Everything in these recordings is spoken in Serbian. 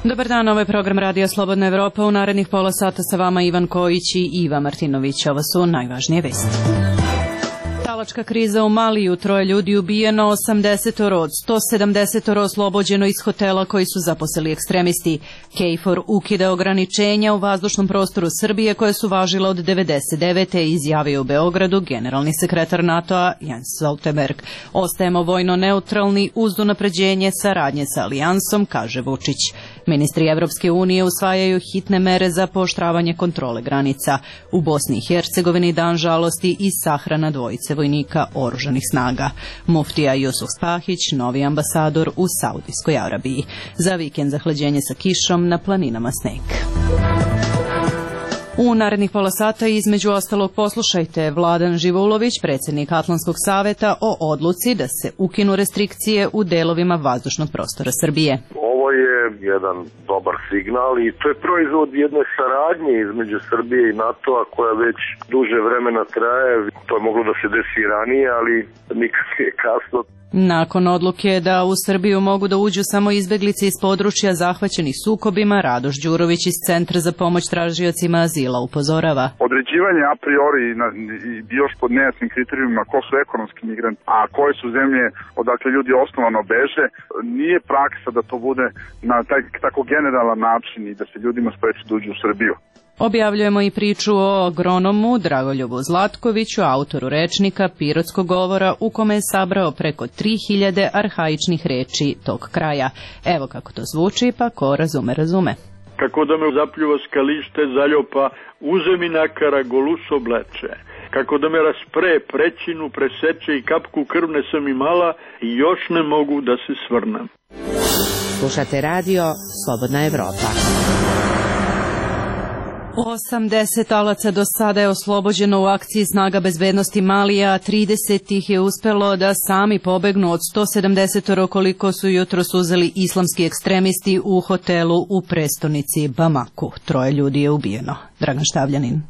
Dobar dan, ovo je program Radija Slobodna Evropa. U narednih pola sata sa vama Ivan Kojić i Iva Martinović. Ovo su najvažnije vesti. Talačka kriza u Maliju, 3 ljudi ubijeno, 80 od 170 oslobođeno iz hotela koji su zaposeli ekstremisti. KFOR ukida ograničenja u vazdušnom prostoru Srbije koje su važila od 99. izjavio u Beogradu generalni sekretar NATO-a Jens Stoltenberg. Ostajemo vojno neutralni uz unapređenje saradnje sa alijansom, kaže Vučić. Ministri Evropske unije usvajaju hitne mere za pooštravanje kontrole granica. U Bosni i Hercegovini dan žalosti i sahrana dvojice vojnika oružanih snaga. Muftija Jusuf Spahić, novi ambasador u Saudijskoj Arabiji. Za vikend zahlađenje sa kišom, na planinama sneg. U narednih pola sata između ostalog poslušajte Vladan Živoulović, predsjednik Atlantskog saveta, o odluci da se ukinu restrikcije u delovima vazdušnog prostora Srbije. Ovo je jedan dobar signal i to je proizvod jedne saradnje između Srbije i NATO-a koja već duže vremena traje. To je moglo da se desi i ranije, ali nikad nije kasno. Nakon odluke da u Srbiju mogu da uđu samo izbeglice iz područja zahvaćenih sukobima, Radoš Đurović iz Centra za pomoć tražiocima azila upozorava. Određivanje a priori još pod nejasnim kriterijumima ko su ekonomski migranti, a koje su zemlje odakle ljudi osnovano beže, nije praksa da to bude na taj tako generalan način i da se ljudima spreči da uđu u Srbiju. Objavljujemo i priču o agronomu Dragoljubu Zlatkoviću, autoru rečnika Pirotskog govora u kome je sabrao preko 3000 arhaičnih reči tog kraja. Evo kako to zvuči, pa ko razume, razume. Kako da me zapljuva skalište zaljopa, uzemina karagolus obleče. Kako da me raspre, prećinu, preseče i kapku krvne sam imala i još ne mogu da se svrnem. Slušate radio Slobodna Evropa. 80 talaca do sada je oslobođeno u akciji snaga bezbednosti Malija, a 30 ih je uspelo da sami pobegnu od 170 koliko su jutros uzeli islamski ekstremisti u hotelu u prestonici Bamaku. 3 ljudi je ubijeno. Dragan Štavljanin.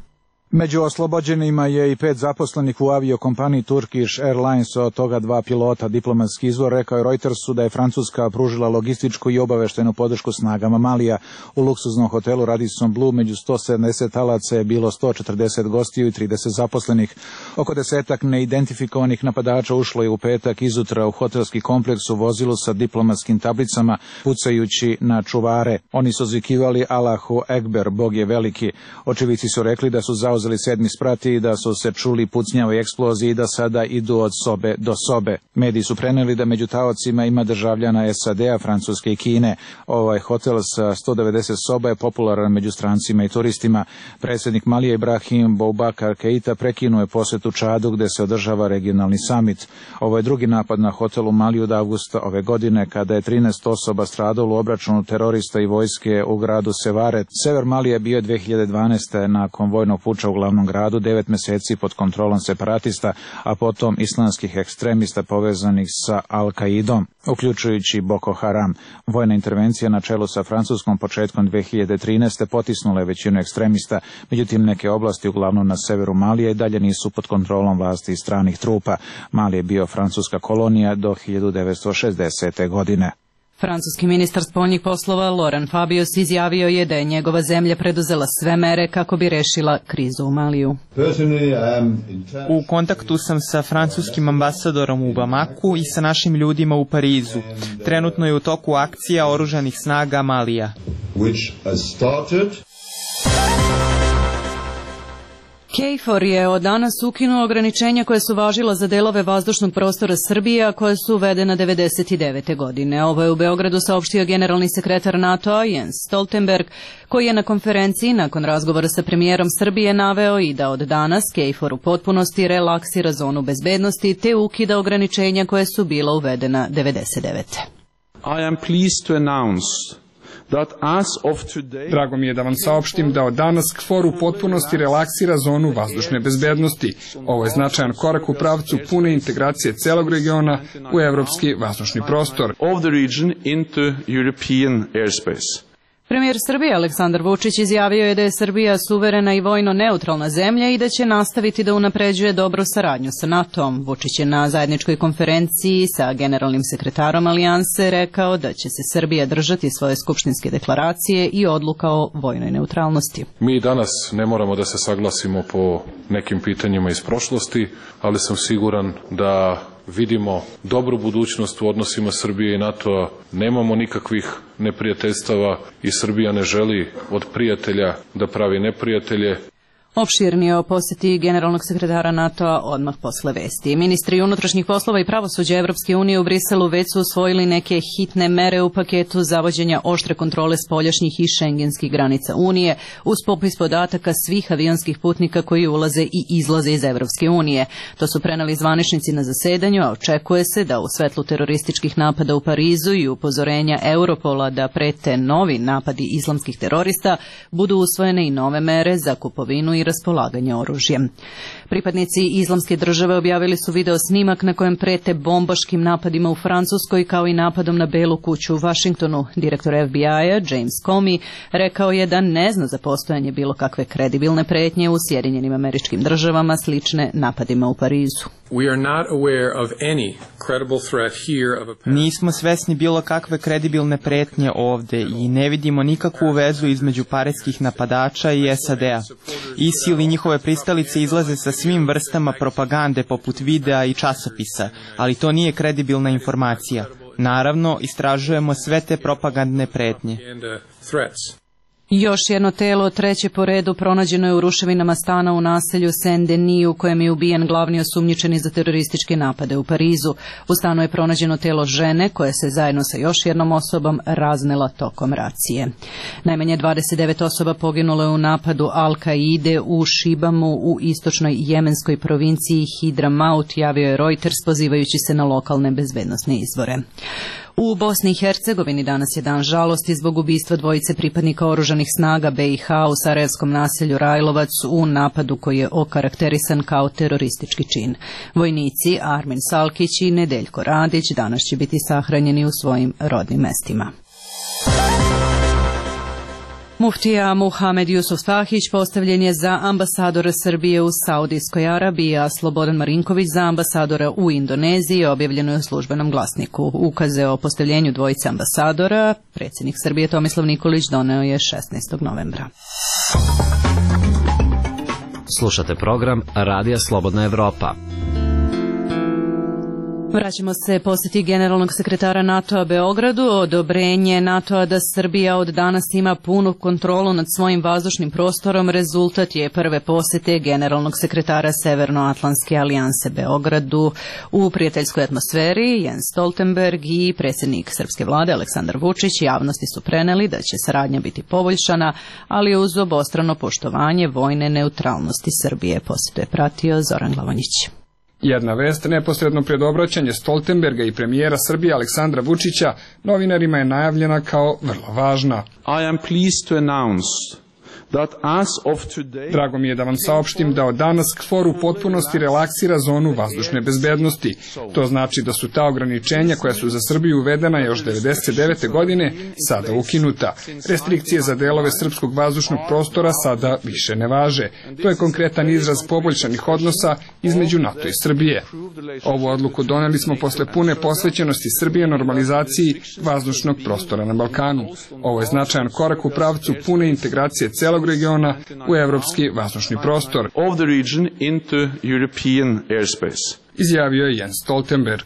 Među oslobođenima je i 5 zaposlenih u aviokompaniji Turkish Airlines, od toga 2 pilota. Diplomatski izvor rekao je Reutersu da je Francuska pružila logističku i obaveštenu podršku snagama Malija. U luksuznom hotelu Radisson Blu među 170 talaca je bilo 140 gostiju i 30 zaposlenih. Oko 10 neidentifikovanih napadača ušlo je u petak izutra u hotelski kompleks u vozilu sa diplomatskim tablicama, pucajući na čuvare. Oni su zvikivali Allahu Ekber, Bog je veliki. Očevici su rekli da su zauzeli 7. sprat i da su se čuli pucnjave i eksploziji i da sada idu od sobe do sobe. Mediji su preneli da među taocima ima državljana SAD-a, Francuske i Kine. Ovaj hotel sa 190 soba je popularan među strancima i turistima. Predsjednik Malija Ibrahim Boubacar Keita prekinuo je posjetu Čadu gde se održava regionalni samit. Ovo je drugi napad na hotel u Maliju od avgusta ove godine kada je 13 osoba stradalo u obračunu terorista i vojske u gradu Sevare. Sever Malija bio je 2012. nakon vojnog puča u glavnom gradu 9 meseci pod kontrolom separatista, a potom islamskih ekstremista povezanih sa Al-Kaidom, uključujući Boko Haram. Vojna intervencija na čelu sa Francuskom početkom 2013. potisnula je većinu ekstremista, međutim neke oblasti uglavnom na severu Malija i dalje nisu pod kontrolom vlasti i stranih trupa. Mali je bio francuska kolonija do 1960. godine. Francuski ministar spoljnih poslova Laurent Fabius izjavio je da je njegova zemlja preduzela sve mere kako bi rešila krizu u Maliju. U kontaktu sam sa francuskim ambasadorom u Bamaku i sa našim ljudima u Parizu. Trenutno je u toku akcija oružanih snaga Malija. KFOR je od danas ukinuo ograničenja koje su važila za delove vazdušnog prostora Srbije, a koje su uvedena 99. godine. Ovo je u Beogradu saopštio generalni sekretar NATO-a Jens Stoltenberg, koji je na konferenciji nakon razgovora sa premijerom Srbije naveo i da od danas KFOR u potpunosti relaksira zonu bezbednosti te ukida ograničenja koje su bila uvedena 99. I am pleased to announce Drago mi je da vam saopštim da od danas KFOR u potpunosti relaksira zonu vazdušne bezbednosti. Ovo je značajan korak u pravcu pune integracije celog regiona u evropski vazdušni prostor. Premijer Srbije Aleksandar Vučić izjavio je da je Srbija suverena i vojno neutralna zemlja i da će nastaviti da unapređuje dobru saradnju sa NATO-om. Vučić je na zajedničkoj konferenciji sa generalnim sekretarom Alijanse rekao da će se Srbija držati svoje skupštinske deklaracije i odluka o vojnoj neutralnosti. Mi danas ne moramo da se saglasimo po nekim pitanjima iz prošlosti, ali sam siguran da vidimo dobru budućnost u odnosima Srbije i NATO-a, nemamo nikakvih neprijateljstava i Srbija ne želi od prijatelja da pravi neprijatelje. Opširnije o poseti generalnog sekretara NATO-a odmah posle vesti. Ministri unutrašnjih poslova i pravosuđa Evropske unije u Briselu već su usvojili neke hitne mere u paketu zavođenja oštre kontrole spoljašnjih i šengenskih granica Unije uz popis podataka svih avionskih putnika koji ulaze i izlaze iz Evropske unije. To su preneli zvaničnici na zasedanju, a očekuje se da u svetlu terorističkih napada u Parizu i upozorenja Europola da prete novi napadi islamskih terorista budu usvojene i nove mere za kupovinu i raspolaganje oružjem. Pripadnici Islamske države objavili su video snimak na kojem prete bombaškim napadima u Francuskoj kao i napadom na Belu kuću u Vašingtonu. Direktor FBI-a James Comey rekao je da ne zna za postojanje bilo kakve kredibilne pretnje u Sjedinjenim Američkim Državama slične napadima u Parizu. Nismo svesni bilo kakve kredibilne pretnje ovde i ne vidimo nikakvu vezu između parijskih napadača i SAD-a. ISIL i njihove pristalice izlaze sa svim vrstama propagande poput videa i časopisa, ali to nije kredibilna informacija. Naravno, istražujemo sve te propagandne pretnje. Još jedno telo, treće po redu, pronađeno je u ruševinama stana u naselju Saint-Denis u kojem je ubijen glavni osumnjičeni za terorističke napade u Parizu. U stanu je pronađeno telo žene koja se zajedno sa još jednom osobom raznela tokom racije. Najmanje 29 osoba poginulo je u napadu Al-Kaide u Šibamu u istočnoj jemenskoj provinciji Hidramaut, javio je Reuters pozivajući se na lokalne bezbednosne izvore. U Bosni i Hercegovini danas je dan žalosti zbog ubistva dvojice pripadnika oružanih snaga BiH u sarajevskom naselju Rajlovac u napadu koji je okarakterisan kao teroristički čin. Vojnici Armin Salkić i Nedeljko Radić danas će biti sahranjeni u svojim rodnim mestima. Muftija Muhamed Jusuf Tahić postavljen je za ambasadora Srbije u Saudijskoj Arabiji, a Slobodan Marinković za ambasadora u Indoneziji, objavljeno je u Službenom glasniku. Ukaze o postavljenju dvojice ambasadora predsjednik Srbije Tomislav Nikolić doneo je 16. novembra. Slušate program Radija Slobodna Evropa. Vraćamo se posjeti generalnog sekretara NATO-a Beogradu. Odobrenje NATO-a da Srbija od danas ima punu kontrolu nad svojim vazdušnim prostorom rezultat je prve posjete generalnog sekretara Severnoatlantske alijanse Beogradu. U prijateljskoj atmosferi Jens Stoltenberg i predsjednik srpske vlade Aleksandar Vučić javnosti su preneli da će saradnja biti poboljšana, ali uz obostrano poštovanje vojne neutralnosti Srbije. Posjetu je pratio Zoran Glavonjić. Jedna vest neposredno pred obraćanje Stoltenberga i premijera Srbije Aleksandra Vučića novinarima je najavljena kao vrlo važna. I am pleased to announce that as of today... Drago mi je da vam saopštim da od danas KFOR u potpunosti relaksira zonu vazdušne bezbednosti. To znači da su ta ograničenja koja su za Srbiju uvedena još 1999. godine sada ukinuta. Restrikcije za delove srpskog vazdušnog prostora sada više ne važe. To je konkretan izraz poboljšanih odnosa između NATO i Srbije. Ovu odluku doneli smo posle pune posvećenosti Srbije normalizaciji vazdušnog prostora na Balkanu. Ovo je značajan korak u pravcu pune integracije celog regiona u evropski vazdušni prostor, izjavio je Jens Stoltenberg.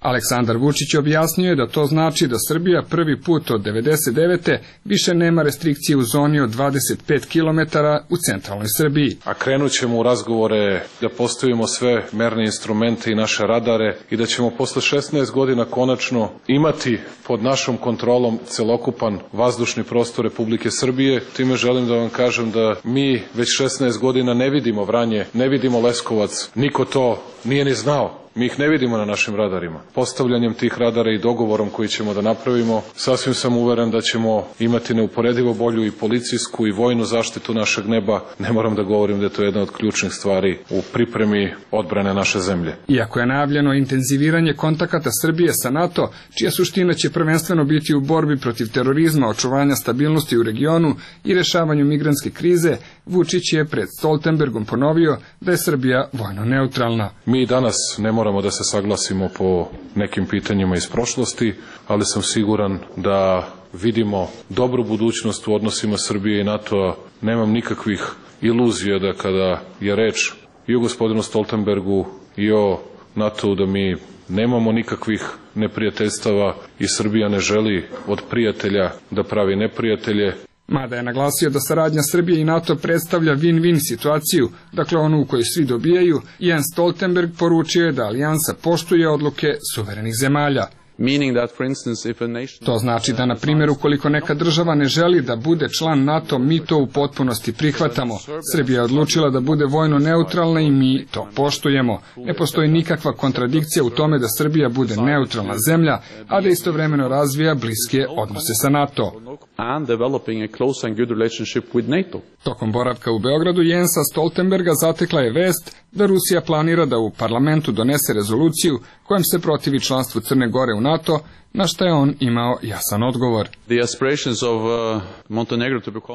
Aleksandar Vučić objasnio je da to znači da Srbija prvi put od 1999. više nema restrikcije u zoni od 25 km u centralnoj Srbiji. A krenut ćemo u razgovore da postavimo sve merne instrumente i naše radare i da ćemo posle 16 godina konačno imati pod našom kontrolom celokupan vazdušni prostor Republike Srbije. Time želim da vam kažem da mi već 16 godina ne vidimo Vranje, ne vidimo Leskovac, niko to nije ni znao. Mi ih ne vidimo na našim radarima. Postavljanjem tih radara i dogovorom koji ćemo da napravimo, sasvim sam uveren da ćemo imati neuporedivo bolju i policijsku i vojnu zaštitu našeg neba. Ne moram da govorim da je to jedna od ključnih stvari u pripremi odbrane naše zemlje. Iako je najavljeno intenziviranje kontakata Srbije sa NATO, čija suština će prvenstveno biti u borbi protiv terorizma, očuvanja stabilnosti u regionu i rešavanju migrantske krize, Vučić je pred Stoltenbergom ponovio da je Srbija vojno neutralna. Mi danas ne moramo da se saglasimo po nekim pitanjima iz prošlosti, ali sam siguran da vidimo dobru budućnost u odnosima Srbije i NATO-a. Nemam nikakvih iluzija da kada je reč i o gospodinu Stoltenbergu i o NATO-u da mi nemamo nikakvih neprijateljstava i Srbija ne želi od prijatelja da pravi neprijatelje. Mada je naglasio da saradnja Srbije i NATO predstavlja win-win situaciju, dakle onu u kojoj svi dobijaju, Jens Stoltenberg poručio je da alijansa poštuje odluke suverenih zemalja. To znači da, na primjer, ukoliko neka država ne želi da bude član NATO, mi to u potpunosti prihvatamo. Srbija je odlučila da bude vojno neutralna i mi to poštujemo. Ne postoji nikakva kontradikcija u tome da Srbija bude neutralna zemlja, a da istovremeno razvija bliske odnose sa NATO. Tokom boravka u Beogradu Jensa Stoltenberga zatekla je vest da Rusija planira da u parlamentu donese rezoluciju kojom se protivi članstvu Crne Gore u NATO, na što je on imao jasan odgovor.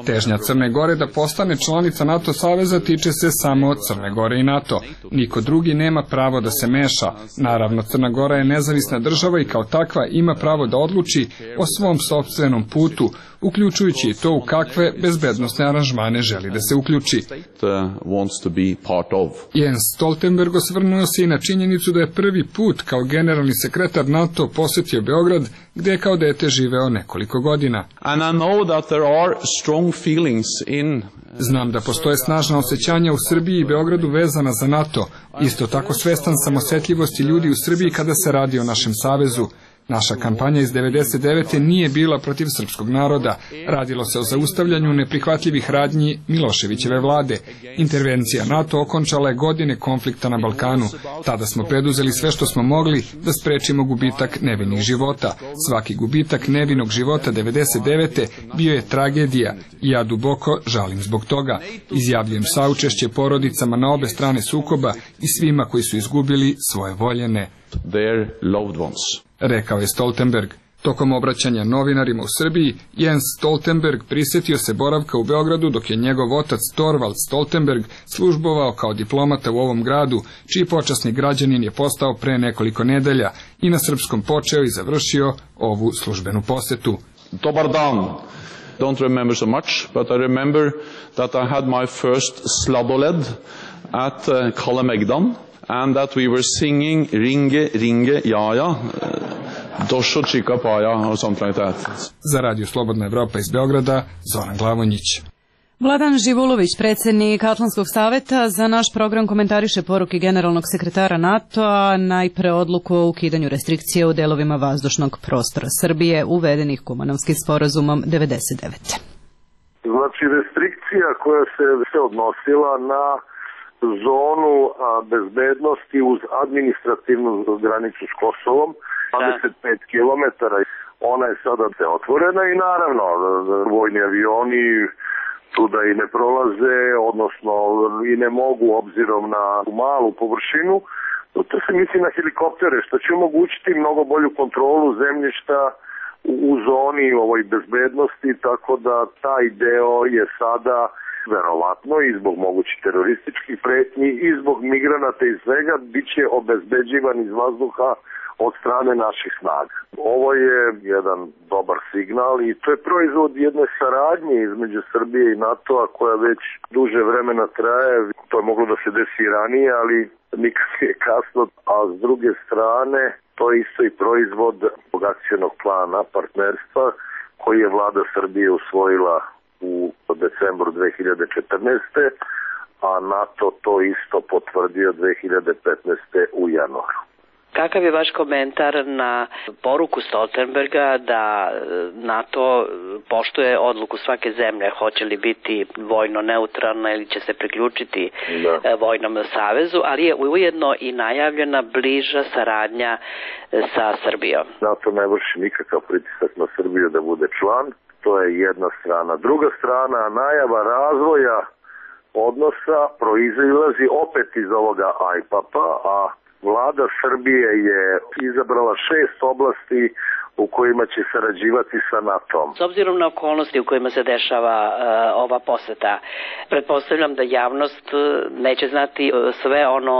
Težnja Crne Gore da postane članica NATO saveza tiče se samo Crne Gore i NATO. Niko drugi nema pravo da se meša. Naravno, Crna Gora je nezavisna država i kao takva ima pravo da odluči o svom sopstvenom putu, uključujući i to u kakve bezbednosne aranžmane želi da se uključi. Jens Stoltenberg osvrnuo se i na činjenicu da je prvi put kao generalni sekretar NATO posjetio Beograd, gde je kao dete živeo nekoliko godina. Znam da postoje snažna osjećanja u Srbiji i Beogradu vezana za NATO. Isto tako svestan sam osjetljivosti ljudi u Srbiji kada se radi o našem savezu. Naša kampanja iz 1999. nije bila protiv srpskog naroda. Radilo se o zaustavljanju neprihvatljivih radnji Miloševićeve vlade. Intervencija NATO okončala je godine konflikta na Balkanu. Tada smo preduzeli sve što smo mogli da sprečimo gubitak nevinih života. Svaki gubitak nevinog života 1999. bio je tragedija i ja duboko žalim zbog toga. Izjavljujem saučešće porodicama na obe strane sukoba i svima koji su izgubili svoje voljene. Rekao je Stoltenberg. Tokom obraćanja novinarima u Srbiji, Jens Stoltenberg prisjetio se boravka u Beogradu dok je njegov otac Torvald Stoltenberg službovao kao diplomata u ovom gradu, čiji počasni građanin je postao pre nekoliko nedelja i na srpskom počeo i završio ovu službenu posetu. Dobar dan. Don't remember so much, but I remember that I had my first sladoled at Kalemegdan. And that we were singing Ringe, Ringe, Jaja, Došo Čika Paja, or something like that. Za Radio Slobodna Evropa iz Beograda, Zoran Glavonjić. Vladan Živulović, predsjednik Atlantskog saveta, za naš program komentariše poruke generalnog sekretara NATO-a, najpre odluku o ukidanju restrikcije u delovima vazdušnog prostora Srbije, uvedenih Kumanovskim sporazumom 1999. Znači, restrikcija koja se odnosila na zonu bezbednosti uz administrativnu granicu s Kosovom, 25 km, ona je sada otvorena i naravno vojni avioni tuda i ne prolaze, odnosno i ne mogu obzirom na malu površinu. To se misli na helikoptere, što će omogućiti mnogo bolju kontrolu zemljišta u zoni ovoj bezbednosti, tako da taj deo je sada verovatno i zbog mogućih terorističkih pretnji i zbog migranata i svega bit će obezbeđivan iz vazduha od strane naših snaga. Ovo je jedan dobar signal i to je proizvod jedne saradnje između Srbije i NATO-a koja već duže vremena traje. To je moglo da se desi i ranije, ali nikad nije kasno. A s druge strane, to je isto i proizvod akcionog plana partnerstva koji je vlada Srbije usvojila u decembru 2014. a NATO to isto potvrdio 2015. u januaru. Kakav je vaš komentar na poruku Stoltenberga da NATO poštuje odluku svake zemlje, hoće li biti vojno neutralna ili će se priključiti vojnom savezu, ali je ujedno i najavljena bliža saradnja sa Srbijom? NATO ne vrši nikakav pritisak na Srbiju da bude član, to je jedna strana. Druga strana, najava razvoja odnosa proizilazi opet iz ovoga IPAP-a, a Vlada Srbije je izabrala 6 oblasti u kojima će sarađivati sa NATO-om. S obzirom na okolnosti u kojima se dešava ova poseta, pretpostavljam da javnost neće znati sve ono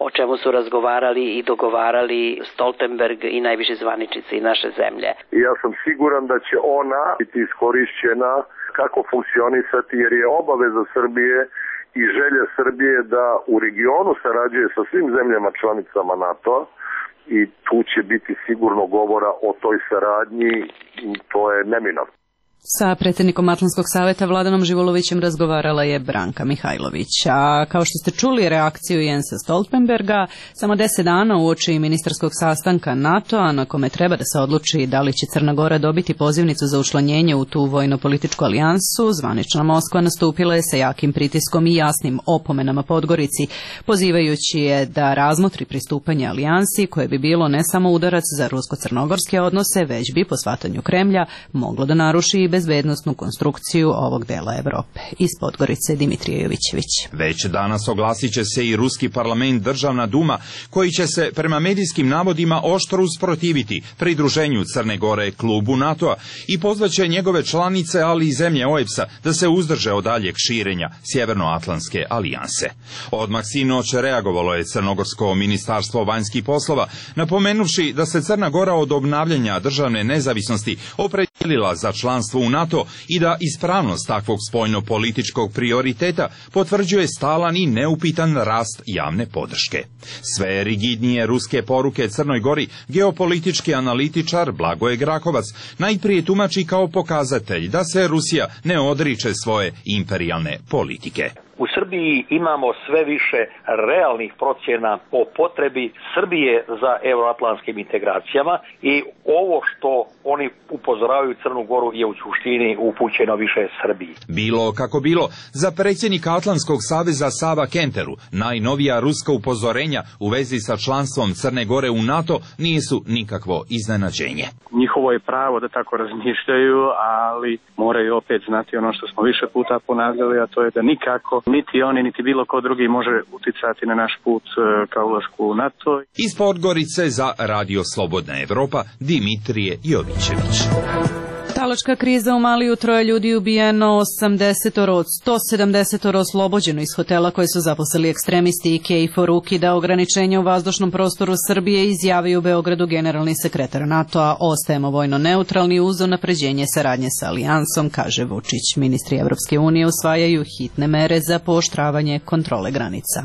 o čemu su razgovarali i dogovarali Stoltenberg i najviši zvaničnici naše zemlje. Ja sam siguran da će ona biti iskorišćena kako funkcionisati, jer je obaveza Srbije i želja Srbije da u regionu sarađuje sa svim zemljama članicama NATO-a i tu će biti sigurno govora o toj saradnji, to je neminovno. Sa predsjednikom Atlantskog saveta Vladanom Živolovićem razgovarala je Branka Mihajlović. A kao što ste čuli reakciju Jensa Stoltenberga, samo 10 dana uoči ministarskog sastanka NATO-a na kome treba da se odluči da li će Crna Gora dobiti pozivnicu za učlanjenje u tu vojno-političku alijansu, zvanična Moskva nastupila je sa jakim pritiskom i jasnim opomenama Podgorici, pozivajući je da razmotri pristupanje alijansi koje bi bilo ne samo udarac za rusko-crnogorske odnose, već bi po shvatanju Kremlja moglo da naruši i bezbednosnu konstrukciju ovog dela Evrope. Iz Podgorice Dimitrije Jovićević. Već danas oglasit će se i Ruski parlament, Državna duma, koji će se prema medijskim navodima oštro usprotiviti pridruženju Crne Gore klubu NATO-a i pozvaće njegove članice, ali i zemlje OEBS-a da se uzdrže od daljeg širenja Sjevernoatlantske alijanse. Odmah sinoć reagovalo je Crnogorsko ministarstvo vanjskih poslova, napomenuvši da se Crna Gora od obnavljanja državne nezavisnosti opredijelila za članstvo u NATO i da ispravnost takvog spoljno-političkog prioriteta potvrđuje stalan i neupitan rast javne podrške. Sve rigidnije ruske poruke Crnoj Gori geopolitički analitičar Blagoje Grakovac najprije tumači kao pokazatelj da se Rusija ne odriče svoje imperijalne politike. U Srbiji imamo sve više realnih procjena o potrebi Srbije za euroatlantskim integracijama i ovo što oni upozoravaju Crnu Goru je u suštini upućeno više Srbiji. Bilo kako bilo, za predsjednika Atlantskog saveza Sava Kenteru najnovija ruska upozorenja u vezi sa članstvom Crne Gore u NATO nisu nikakvo iznenađenje. Njihovo je pravo da tako razmišljaju, ali moraju opet znati ono što smo više puta ponavljali, a to je da nikako niti oni, niti bilo ko drugi može uticati na naš put ka ulasku u NATO. Iz Podgorice za Radio Slobodna Evropa, Dimitrije Jovićević. Talačka kriza u Maliju, 3 ljudi ubijeno, 80 od 170 oslobođeno iz hotela koje su zaposlili ekstremisti i Kejfor ukida ograničenja u vazdušnom prostoru Srbije, izjavio u Beogradu generalni sekretar NATO-a. Ostajemo vojno neutralni uz unapređenje saradnje sa alijansom, kaže Vučić. Ministri Evropske unije usvajaju hitne mere za pooštravanje kontrole granica.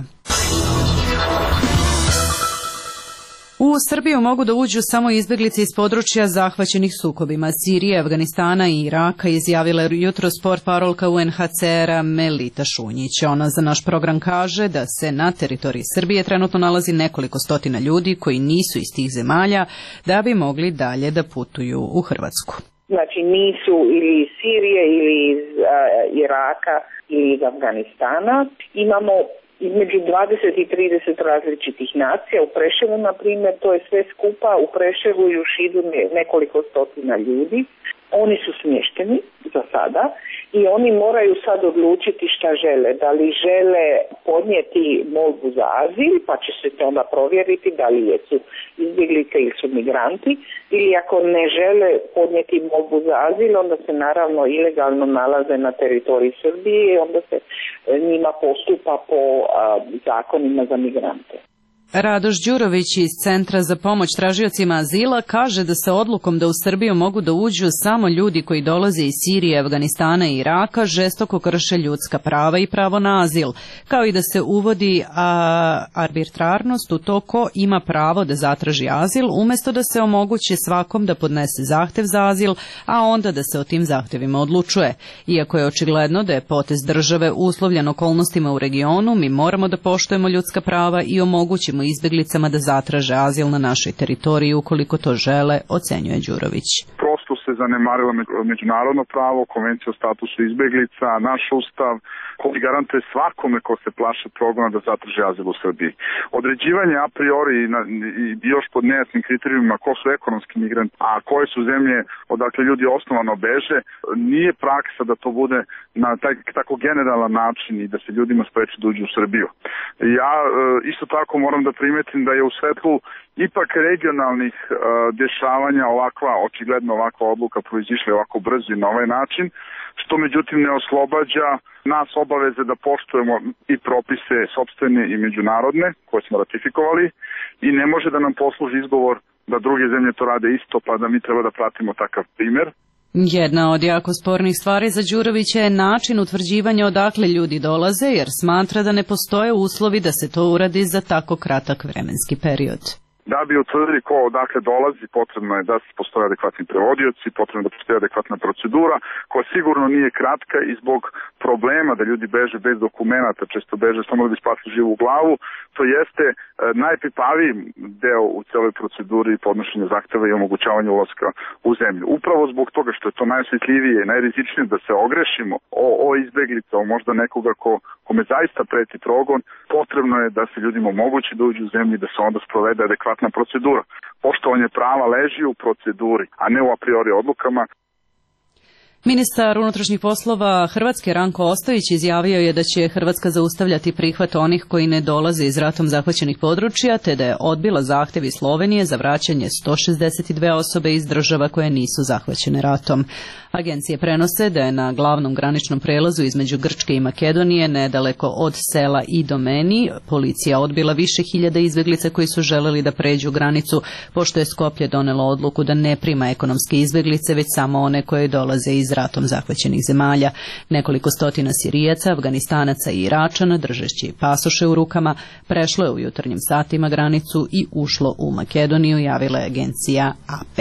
U Srbiju mogu da uđu samo izbeglice iz područja zahvaćenih sukobima Sirije, Afganistana i Iraka, izjavila jutros portparolka UNHCR-a Melita Šunjić. Ona za naš program kaže da se na teritoriji Srbije trenutno nalazi nekoliko stotina ljudi koji nisu iz tih zemalja da bi mogli dalje da putuju u Hrvatsku. Znači nisu ili iz Sirije ili iz Iraka ili iz Afganistana. Imamo između 20 i 30 različitih nacija. U Preševu, na primjer, to je sve skupa. U Preševu i u Šidu nekoliko stotina ljudi. Oni su smješteni za sada i oni moraju sad odlučiti šta žele. Da li žele podnijeti molbu za azil, pa će se to onda provjeriti da li jesu izbjeglice ili su migranti, ili ako ne žele podnijeti molbu za azil, onda se naravno ilegalno nalaze na teritoriji Srbije i onda se njima postupa po zakonima za migrante. Radoš Đurović iz Centra za pomoć tražiocima azila kaže da se odlukom da u Srbiju mogu da uđu samo ljudi koji dolaze iz Sirije, Afganistana i Iraka žestoko krše ljudska prava i pravo na azil, kao i da se uvodi arbitrarnost u to ko ima pravo da zatraži azil, umjesto da se omogući svakom da podnese zahtev za azil, a onda da se o tim zahtevima odlučuje. Iako je očigledno da je potez države uslovljen okolnostima u regionu, mi moramo da poštujemo ljudska prava i omogućimo omogućimo izbeglicama da zatraže azil na našoj teritoriji ukoliko to žele, ocenjuje Đurović. Prosto se zanemarilo međunarodno pravo, konvencija o statusu izbeglica, naš ustav, koji garantuje svakome ko se plaše progona da zatraži azil u Srbiji. Određivanje a priori i još pod nejasnim kriterijumima ko su ekonomski migranti, a koje su zemlje odakle ljudi osnovano beže, nije praksa da to bude na taj tako generalan način i da se ljudima spreči da uđu u Srbiju. Ja isto tako moram da primetim da je u svetlu ipak regionalnih dešavanja očigledno ovakva odluka proizišla ovako brzo i na ovaj način, što međutim ne oslobađa nas obaveze da poštujemo i propise sopstvene i međunarodne koje smo ratifikovali i ne može da nam posluži izgovor da druge zemlje to rade isto pa da mi treba da pratimo takav primer. Jedna od jako spornih stvari za Đurovića je način utvrđivanja odakle ljudi dolaze, jer smatra da ne postoje uslovi da se to uradi za tako kratak vremenski period. Da bi utvrdili ko odakle dolazi, potrebno je da postoje adekvatni prevodioci, potrebno da postoje adekvatna procedura, koja sigurno nije kratka i zbog problema da ljudi beže bez dokumenata, često beže samo da bi spasli živu glavu, to jeste najpipaviji deo u celoj proceduri podnošenja zahteva i omogućavanja ulaska u zemlju. Upravo zbog toga što je to najosjetljivije i najrizičnije da se ogrešimo o izbeglica, o možda nekoga kome zaista preti progon, potrebno je da se ljudima omogući da uđu u zemlju i da se onda sprovede adekvatna procedura. Poštovanje prava leži u proceduri, a ne u a priori odlukama. Ministar unutrašnjih poslova Hrvatske Ranko Ostojić izjavio je da će Hrvatska zaustavljati prihvat onih koji ne dolaze iz ratom zahvaćenih područja, te da je odbila zahtev iz Slovenije za vraćanje 162 osobe iz država koje nisu zahvaćene ratom. Agencije prenose da je na glavnom graničnom prelazu između Grčke i Makedonije, nedaleko od sela Idomeni, policija odbila više hiljada izbeglica koji su želeli da pređu granicu, pošto je Skoplje donelo odluku da ne prima ekonomske izbeglice, već samo one koje dolaze iz ratom zahvaćenih zemalja. Nekoliko stotina Sirijaca, Afganistanaca i Iračana, držeći pasoše u rukama, prešlo je u jutarnjim satima granicu i ušlo u Makedoniju, javila je agencija AP.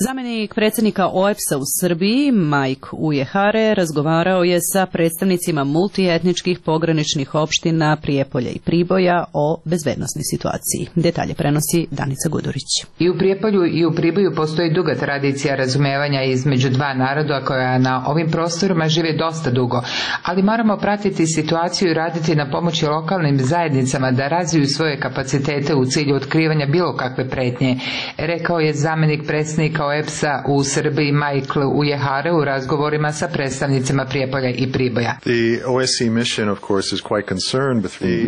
Zamenik predsjednika OEBS-a u Srbiji, Mike Ujehare, razgovarao je sa predstavnicima multietničkih pograničnih opština Prijepolja i Priboja o bezbednosnoj situaciji. Detalje prenosi Danica Gudurić. I u Prijepolju i u Priboju postoji duga tradicija razumevanja između dva naroda koja na ovim prostorima žive dosta dugo, ali moramo pratiti situaciju i raditi na pomoći lokalnim zajednicama da razviju svoje kapacitete u cilju otkrivanja bilo kakve pretnje, rekao je zamenik predsjednika OEBS-a u Srbiji Michael Ujehare u razgovorima sa predstavnicima Prijepolja i Priboja.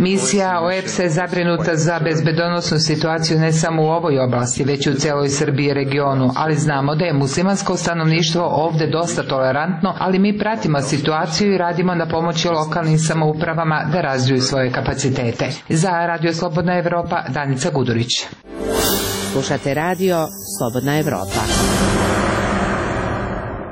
Misija OEBS-a je zabrinuta za bezbedonosnu situaciju ne samo u ovoj oblasti, već i u celoj Srbiji i regionu, ali znamo da je muslimansko stanovništvo ovde dosta tolerantno, ali mi pratimo situaciju i radimo na pomoći lokalnim samoupravama da razviju svoje kapacitete. Za Radio Slobodna Evropa, Danica Gudurić. Slušate radio Slobodna Evropa.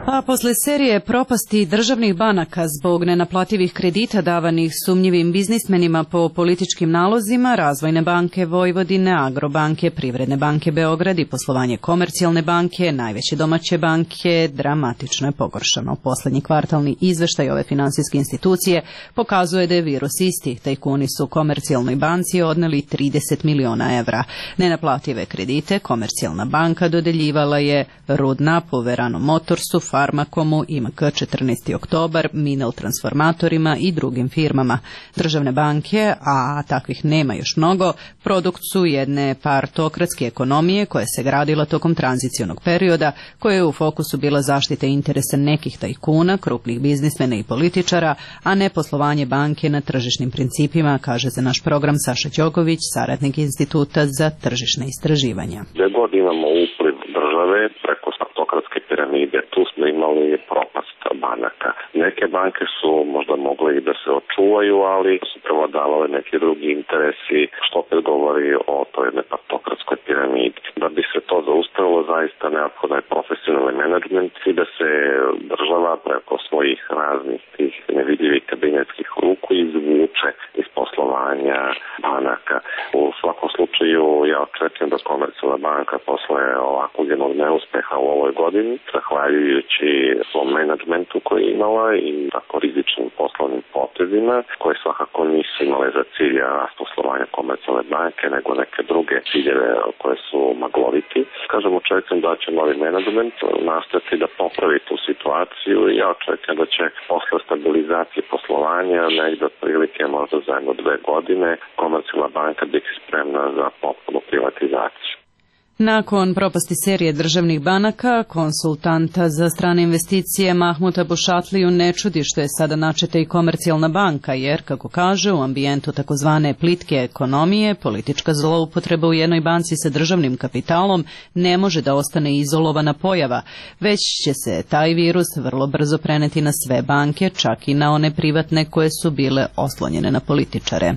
A posle serije propasti državnih banaka zbog nenaplativih kredita davanih sumnjivim biznismenima po političkim nalozima, Razvojne banke Vojvodine, Agrobanke, Privredne banke Beograd i poslovanje Komercijalne banke, najveće domaće banke, dramatično je pogoršano. Poslednji kvartalni izveštaj ove finansijske institucije pokazuje da je virus isti. Tajkuni su Komercijalnoj banci odneli 30 miliona evra. Nenaplative kredite Komercijalna banka dodeljivala je Rudnapu, Verano Motorsu, Farmakomu, IMK 14. oktobar, Minel transformatorima i drugim firmama. Državne banke, a takvih nema još mnogo, produkt su jedne partokratske ekonomije koja se gradila tokom tranzicionog perioda, koja je u fokusu bila zaštita interesa nekih tajkuna, krupnih biznismena i političara, a ne poslovanje banke na tržišnim principima, kaže za naš program Saša Đogović, saradnik Instituta za tržišne istraživanja. Gde god imamo upliv države preko partokratske piramide, tu smo imali propast banaka. Neke banke su možda mogle i da se očuvaju, ali su prevladavale neki drugi interesi, što opet govori o toj jednoj partokratskoj piramidi. Da bi se to zaustavilo, zaista neophodan je profesionalni menadžment i da se država preko svojih raznih tih nevidljivih kabinetskih ruku izvuče iz poslovanja banaka. U svakom slučaju slučaju ja očekujem da Komercijalna banka posle ovakvog jednog neuspeha u ovoj godini, zahvaljujući svom menadžmentu koji je imala i tako rizičnim poslovnim potezima, koji svakako nisu imale za cilj rast poslovanja Komercijalne banke, nego neke druge ciljeve koje su magloviti. Kažem, očekujem da će novi menadžment nastaviti da popravi tu situaciju i ja očekujem da će posle stabilizacije poslovanja negde otprilike možda za 1-2 godine Komercijalna banka biti spremna za potpunu privatizaciju. Nakon propasti serije državnih banaka, konsultanta za strane investicije Mahmuta Bušatliju ne čudi što je sada načeta i Komercijalna banka, jer, kako kaže, u ambijentu takozvane plitke ekonomije, politička zloupotreba u jednoj banci sa državnim kapitalom ne može da ostane izolovana pojava, već će se taj virus vrlo brzo preneti na sve banke, čak i na one privatne koje su bile oslonjene na političare.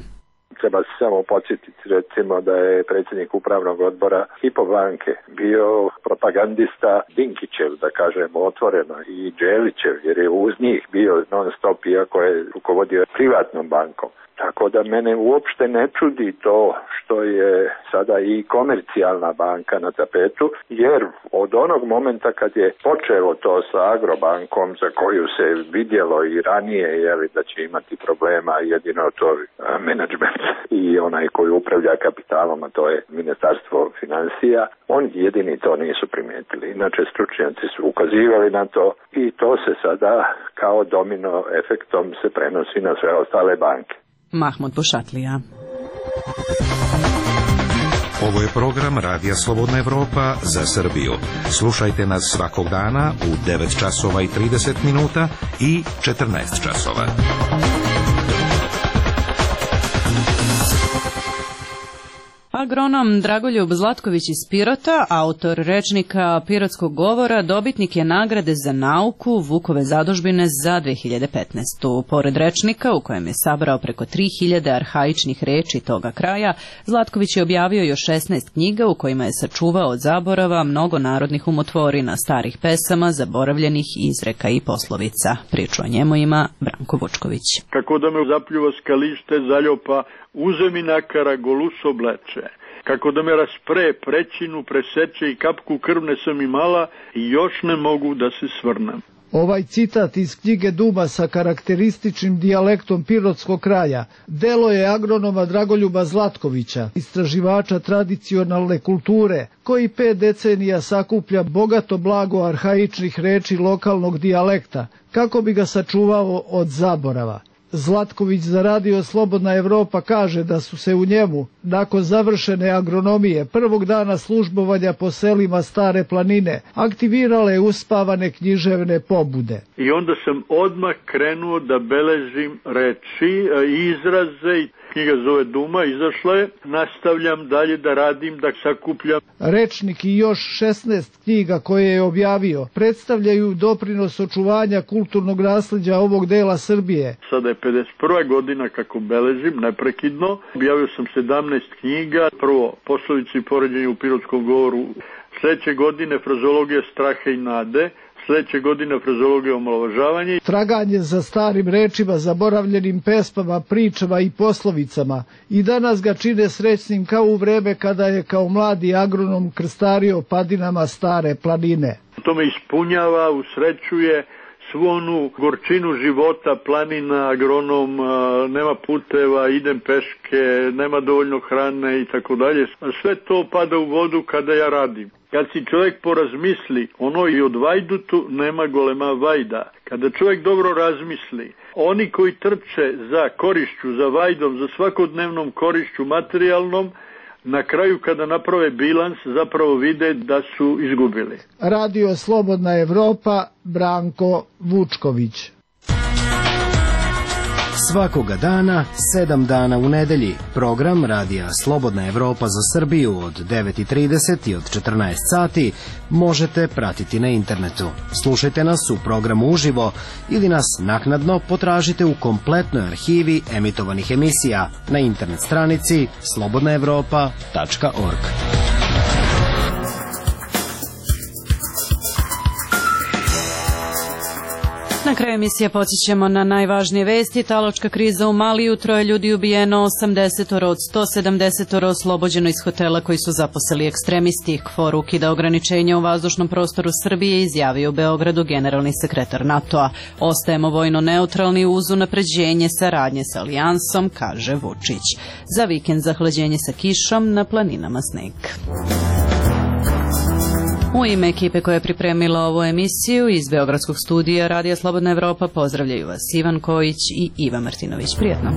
Treba se samo podsjetiti recimo da je predsjednik upravnog odbora Hypo banke bio propagandista Dinkićev, da kažemo otvoreno, i Đelićev, jer je uz njih bio non stop, iako je rukovodio privatnom bankom. Tako da mene uopšte ne čudi to što je sada i Komercijalna banka na tapetu, jer od onog momenta kad je počelo to sa Agrobankom, za koju se vidjelo i ranije da će imati problema, jedino to menadžment i onaj koji upravlja kapitalom, a to je Ministarstvo financija, oni jedini to nisu primijetili. Inače, stručnjaci su ukazivali na to i to se sada kao domino efektom se prenosi na sve ostale banke. Mahmut Bušatlija. Ovo je program Radija Slobodna Evropa za Srbiju. Slušajte nas svakog dana u 9 časova i 30 minuta i 14 časova. Agronom Dragoljub Zlatković iz Pirota, autor rečnika Pirotskog govora, dobitnik je nagrade za nauku Vukove zadužbine za 2015. Pored rečnika, u kojem je sabrao preko 3000 arhaičnih reči toga kraja, Zlatković je objavio još 16 knjiga u kojima je sačuvao od zaborava mnogo narodnih umotvorina, starih pesama, zaboravljenih izreka i poslovica. Priču o njemu ima Branko Vučković. Kako da me zapljuva skalište, zaljopa, uzemi nakara, goluso obleče. Kako da me raspre, prećinu, preseče i kapku krvne sam imala i još ne mogu da se svrnem. Ovaj citat iz knjige Duma sa karakterističnim dijalektom pirotskog kraja delo je agronoma Dragoljuba Zlatkovića, istraživača tradicionalne kulture, koji 5 decenija sakuplja bogato blago arhaičnih reči lokalnog dijalekta, kako bi ga sačuvao od zaborava. Zlatković za Radio Slobodna Evropa kaže da su se u njemu, nakon završene agronomije, prvog dana službovanja po selima Stare planine, aktivirale uspavane književne pobude. I onda sam odmah krenuo da beležim reči, izraze, knjiga zove Duma, izašla je, nastavljam dalje da radim, da sakupljam. Rečnik i još 16 knjiga koje je objavio predstavljaju doprinos očuvanja kulturnog nasleđa ovog dela Srbije. Sada je 51. godina kako beležim, neprekidno. Objavio sam 17 knjiga, prvo poslovice i poređenje u Pirotskom govoru, sledeće godine frazologija straha i nade, sledeće godine frazologija omalovažavanja. Traganje za starim rečima, zaboravljenim pesmama, pričama i poslovicama i danas ga čine srećnim kao u vreme kada je kao mladi agronom krstario padinama Stare planine. To me ispunjava, usrećuje svu onu gorčinu života, planina, agronom, nema puteva, idem peške, nema dovoljno hrane i tako dalje. Sve to pada u vodu kada ja radim. Kad si čovjek porazmisli, ono i od vajdutu nema golema vajda. Kada čovjek dobro razmisli, oni koji trče za korišću, za vajdom, za svakodnevnom korišću materijalnom, na kraju kada naprave bilans zapravo vide da su izgubili. Radio Slobodna Evropa, Branko Vučković. Svakoga dana, 7 dana u nedelji, program Radija Slobodna Evropa za Srbiju od 9:30 i od 14 sati možete pratiti na internetu. Slušajte nas u programu uživo ili nas naknadno potražite u kompletnoj arhivi emitovanih emisija na internet stranici slobodnaevropa.org. Na kraju emisije podsjećamo na najvažnije vesti. Talačka kriza u Maliju, 3 ljudi ubijeno, 80 od 170 oslobođeno iz hotela koji su zaposeli ekstremisti. KFOR ukida ograničenja u vazdušnom prostoru Srbije, izjavio u Beogradu generalni sekretar NATO-a. Ostajemo vojno neutralni uz unapređenje saradnje sa alijansom, kaže Vučić. Za vikend zahlađenje sa kišom, na planinama sneg. U ime ekipe koja je pripremila ovu emisiju iz Beogradskog studija Radija Slobodna Evropa pozdravljaju vas Ivan Kojić i Iva Martinović. Prijetno.